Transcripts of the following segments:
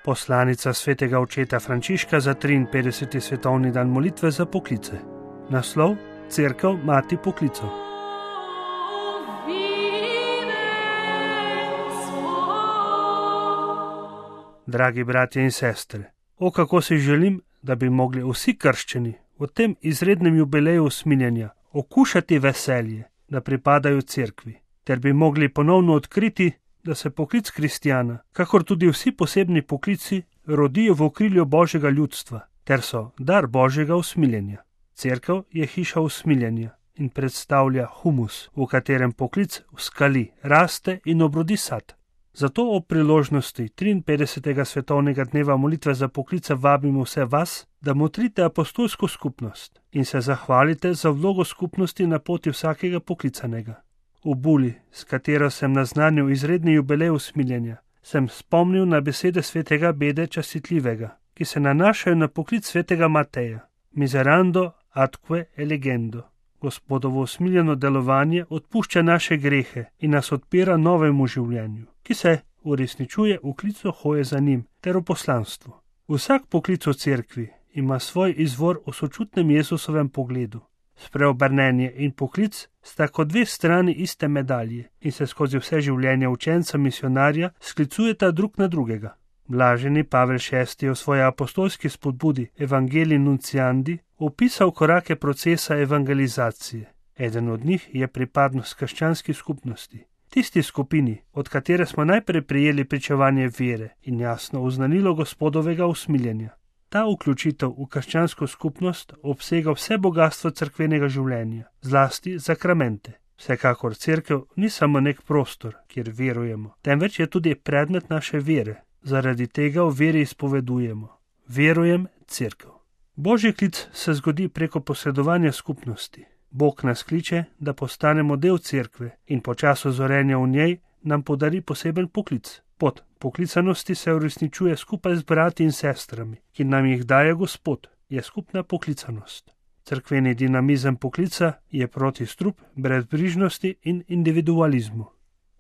Poslanica svetega očeta Frančiška za 53. svetovni dan molitve za poklice. Naslov: Cerkev mati poklicev. Dragi bratje in sestre, kako si želim, da bi mogli vsi krščeni v tem izrednem jubileju usmiljenja okušati veselje, da pripadajo cerkvi, ter bi mogli ponovno odkriti, da se poklic kristjana, kakor tudi vsi posebni poklici, rodijo v okrilju Božjega ljudstva, ter so dar Božjega usmiljenja. Cerkev je hiša usmiljenja in predstavlja humus, v katerem poklic vskali, raste in obrodi sad. Zato ob priložnosti 53. svetovnega dneva molitve za poklice vabimo vse vas, da motrite apostolsko skupnost in se zahvalite za vlogo skupnosti na poti vsakega poklicanega. V buli, s katero sem naznanil izredni jubilej usmiljenja, sem spomnil na besede svetega Bede Častitljivega, ki se nanašajo na poklic svetega Mateja. Miserando atque elegendo. Gospodovo usmiljeno delovanje odpušča naše grehe in nas odpira novemu življenju, ki se uresničuje v klicu hoje za njim ter v poslanstvu. Vsak poklic v cerkvi ima svoj izvor v sočutnem Jezusovem pogledu. Spreobrnenje in poklic sta kot dve strani iste medalje in se skozi vse življenje učenca misionarja sklicujeta drug na drugega. Blaženi Pavel VI je v svoji apostolski spodbudi Evangelii Nunciandi opisal korake procesa evangelizacije. Eden od njih je pripadnost krščanski skupnosti, tisti skupini, od katere smo najprej prijeli pričevanje vere in jasno oznanilo Gospodovega usmiljenja. Ta vključitev v krščansko skupnost obsega vse bogatstvo cerkvenega življenja, zlasti zakramente. Vsekakor cerkev ni samo nek prostor, kjer verujemo, temveč je tudi predmet naše vere. Zaradi tega v veri izpovedujemo: verujem cerkev. Božji klic se zgodi preko posredovanja skupnosti. Bog nas kliče, da postanemo del cerkve in po času zorenja v njej nam podari poseben poklic. Pot poklicanosti se uresničuje skupaj z brati in sestrami, ki nam jih daje Gospod, je skupna poklicanost. Cerkveni dinamizem poklica je protistrup brezbrižnosti in individualizmu.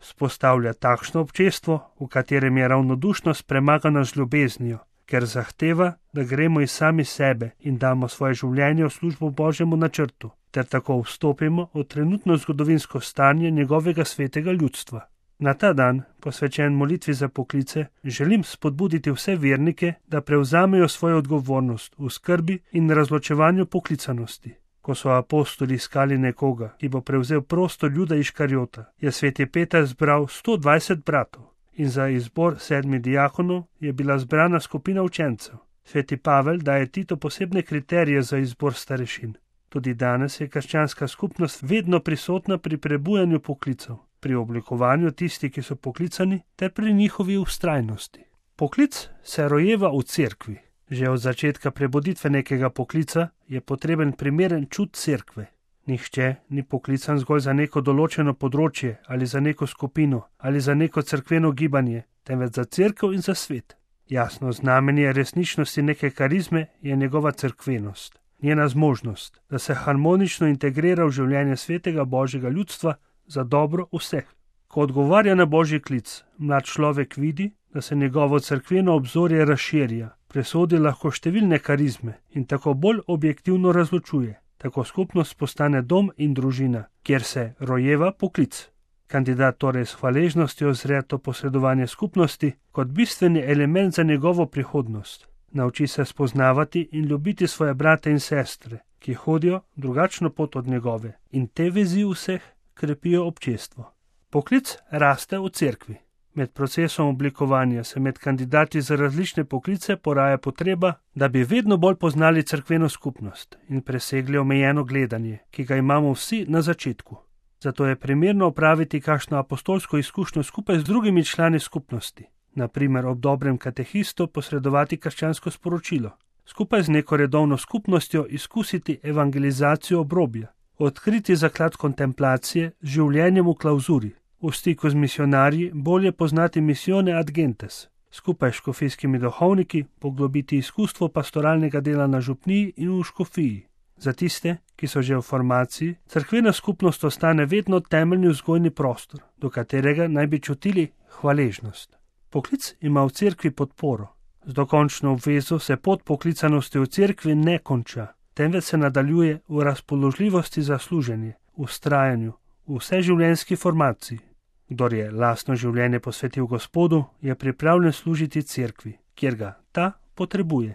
Spostavlja takšno občestvo, v katerem je ravnodušnost premagana z ljubeznijo, ker zahteva, da gremo iz sami sebe in damo svoje življenje v službo Božjemu načrtu, ter tako vstopimo v trenutno zgodovinsko stanje njegovega svetega ljudstva. Na ta dan, posvečen molitvi za poklice, želim spodbuditi vse vernike, da prevzamejo svojo odgovornost v skrbi in razločevanju poklicanosti. Ko so apostoli iskali nekoga, ki bo prevzel prostor Juda Iškariota, je sveti Peter zbral 120 bratov in za izbor 7 diakonov je bila zbrana skupina učencev. Sveti Pavel daje Titu posebne kriterije za izbor starešin. Tudi danes je krščanska skupnost vedno prisotna pri prebujanju poklicev, pri oblikovanju tistih, ki so poklicani, ter pri njihovi vztrajnosti. Poklic se rojeva v cerkvi. Že od začetka prebuditve nekega poklica je potreben primeren čut cerkve. Nihče ni poklican zgolj za neko določeno področje ali za neko skupino ali za neko cerkveno gibanje, temveč za cerkev in za svet. Jasno znamenje resničnosti neke karizme je njegova cerkvenost, njena zmožnost, da se harmonično integrira v življenje svetega Božjega ljudstva za dobro vseh. Ko odgovarja na Božji klic, mlad človek vidi, da se njegovo cerkveno obzorje razširja, presodi lahko številne karizme in tako bolj objektivno razločuje. Tako skupnost postane dom in družina, kjer se rojeva poklic. Kandidat torej s hvaležnostjo zre to posredovanje skupnosti kot bistveni element za njegovo prihodnost. Nauči se spoznavati in ljubiti svoje brate in sestre, ki hodijo drugačno pot od njegove, in te vezi vseh krepijo občestvo. Poklic raste v cerkvi. Med procesom oblikovanja se med kandidati za različne poklice poraja potreba, da bi vedno bolj poznali cerkveno skupnost in presegli omejeno gledanje, ki ga imamo vsi na začetku. Zato je primerno opraviti kakšno apostolsko izkušnjo skupaj z drugimi člani skupnosti, na primer ob dobrem katehistu posredovati krščansko sporočilo, skupaj z neko redovno skupnostjo izkusiti evangelizacijo obrobja, odkriti zaklad kontemplacije z življenjem v klauzuri, v stiku z misionarji bolje poznati misione ad gentes, skupaj s škofijskimi duhovniki poglobiti izkustvo pastoralnega dela na župniji in v škofiji. Za tiste, ki so že v formaciji, cerkvena skupnost ostane vedno temeljni vzgojni prostor, do katerega naj bi čutili hvaležnost. Poklic ima v cerkvi podporo. Z dokončno obvezo se pot poklicanosti v cerkvi ne konča, temveč se nadaljuje v razpoložljivosti za služenje, v vztrajanju, v vseživljenjski formaciji. Kdor je lastno življenje posvetil Gospodu, je pripravljen služiti cerkvi, kjer ga ta potrebuje.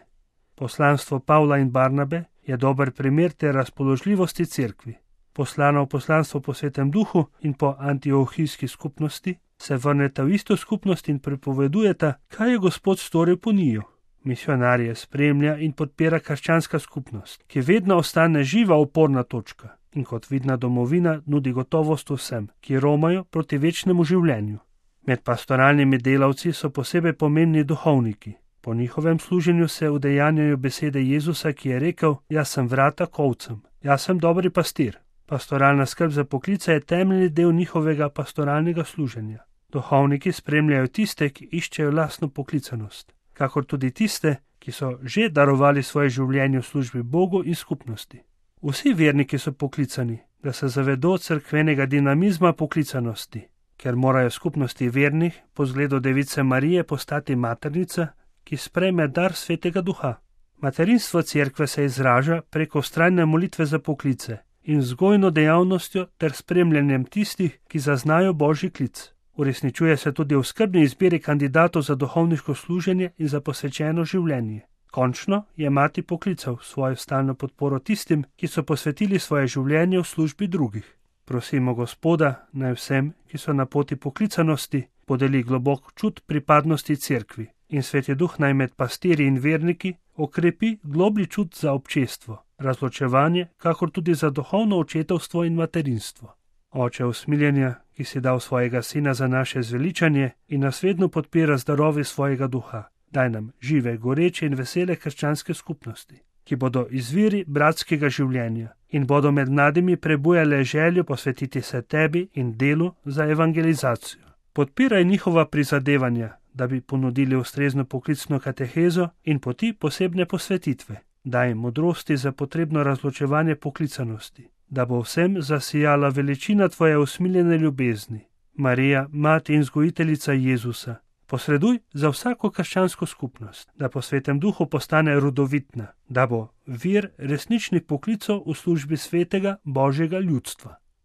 Poslanstvo Pavla in Barnabe je dober primer te razpoložljivosti cerkvi. Poslana v poslanstvo po Svetem Duhu in po antiohijski skupnosti se vrneta v isto skupnost in pripovedujeta, kaj je Gospod storil po njiju. Misionarje spremlja in podpira krščanska skupnost, ki vedno ostane živa oporna točka in kot vidna domovina nudi gotovost vsem, ki romajo proti večnemu življenju. Med pastoralnimi delavci so posebej pomembni duhovniki. Po njihovem služenju se udejanjajo besede Jezusa, ki je rekel: Jaz sem vrata k ovcam, jaz sem dobri pastir. Pastoralna skrb za poklice je temeljni del njihovega pastoralnega služenja. Duhovniki spremljajo tiste, ki iščejo lastno poklicanost, kakor tudi tiste, ki so že darovali svoje življenje v službi Bogu in skupnosti. Vsi verniki so poklicani, da se zavedo cerkvenega dinamizma poklicanosti, ker morajo skupnosti vernih po zgledu Device Marije postati maternica, ki sprejme dar Svetega Duha. Materinstvo cerkve se izraža preko vztrajne molitve za poklice in vzgojno dejavnostjo ter spremljanjem tistih, ki zaznajo Božji klic. Uresničuje se tudi v skrbni izbiri kandidatov za duhovniško služenje in za posvečeno življenje. Končno je mati poklical svojo stalno podporo tistim, ki so posvetili svoje življenje v službi drugih. Prosimo Gospoda, naj vsem, ki so na poti poklicanosti, podeli globok čut pripadnosti cerkvi in Sveti Duh naj med pastirji in verniki okrepi globlji čut za občestvo, razločevanje, kakor tudi za duhovno očetovstvo in materinstvo. Oče usmiljenja, ki si dal svojega sina za naše zveličanje in nas vedno podpira z darovi svojega duha, daj nam žive, goreče in vesele krščanske skupnosti, ki bodo izviri bratskega življenja in bodo med mladimi prebujale željo posvetiti se tebi in delu za evangelizacijo. Podpiraj njihova prizadevanja, da bi ponudili ustrezno poklicno katehezo in poti posebne posvetitve. Daj modrosti za potrebno razločevanje poklicanosti, da bo vsem zasijala veličina tvoje usmiljene ljubezni. Marija, mati in vzgojiteljica Jezusa, posreduj za vsako krščansko skupnost, da po Svetem Duhu postane rodovitna, da bo vir resničnih poklicov v službi svetega Božjega ljudstva.